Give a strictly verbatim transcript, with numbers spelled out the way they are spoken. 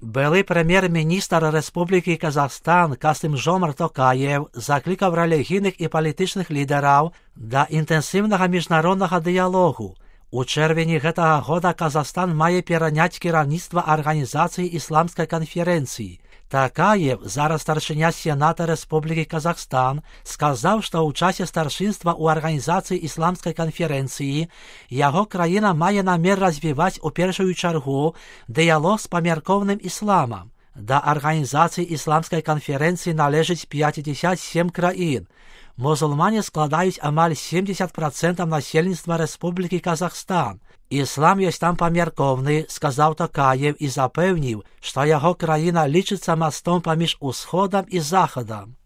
Былий прем'єр-міністр Республіки Казахстан Касим-Жомарт Токаєв закликав релігійних і політичних лідерів до інтенсивного міжнародного діалогу. У червні гэтага года Казахстан має перейняти керівництво Організації Ісламської конференції. Токаєв, зараз старшиня Сената Республіки Казахстан, сказав, що у часі старшинства у Організації Ісламської конференції його країна має намір розвивати у першу чергу діалог з помірковним ісламом. До Організації Ісламської конференції належить п'ятдесят сім країн. Мусульмане складають амаль сімдесят відсотків населення Республіки Казахстан. Іслам є там помірковний, сказав Токаєв і запевнив, що його країна лічиться мостом поміж Усходом і Заходом.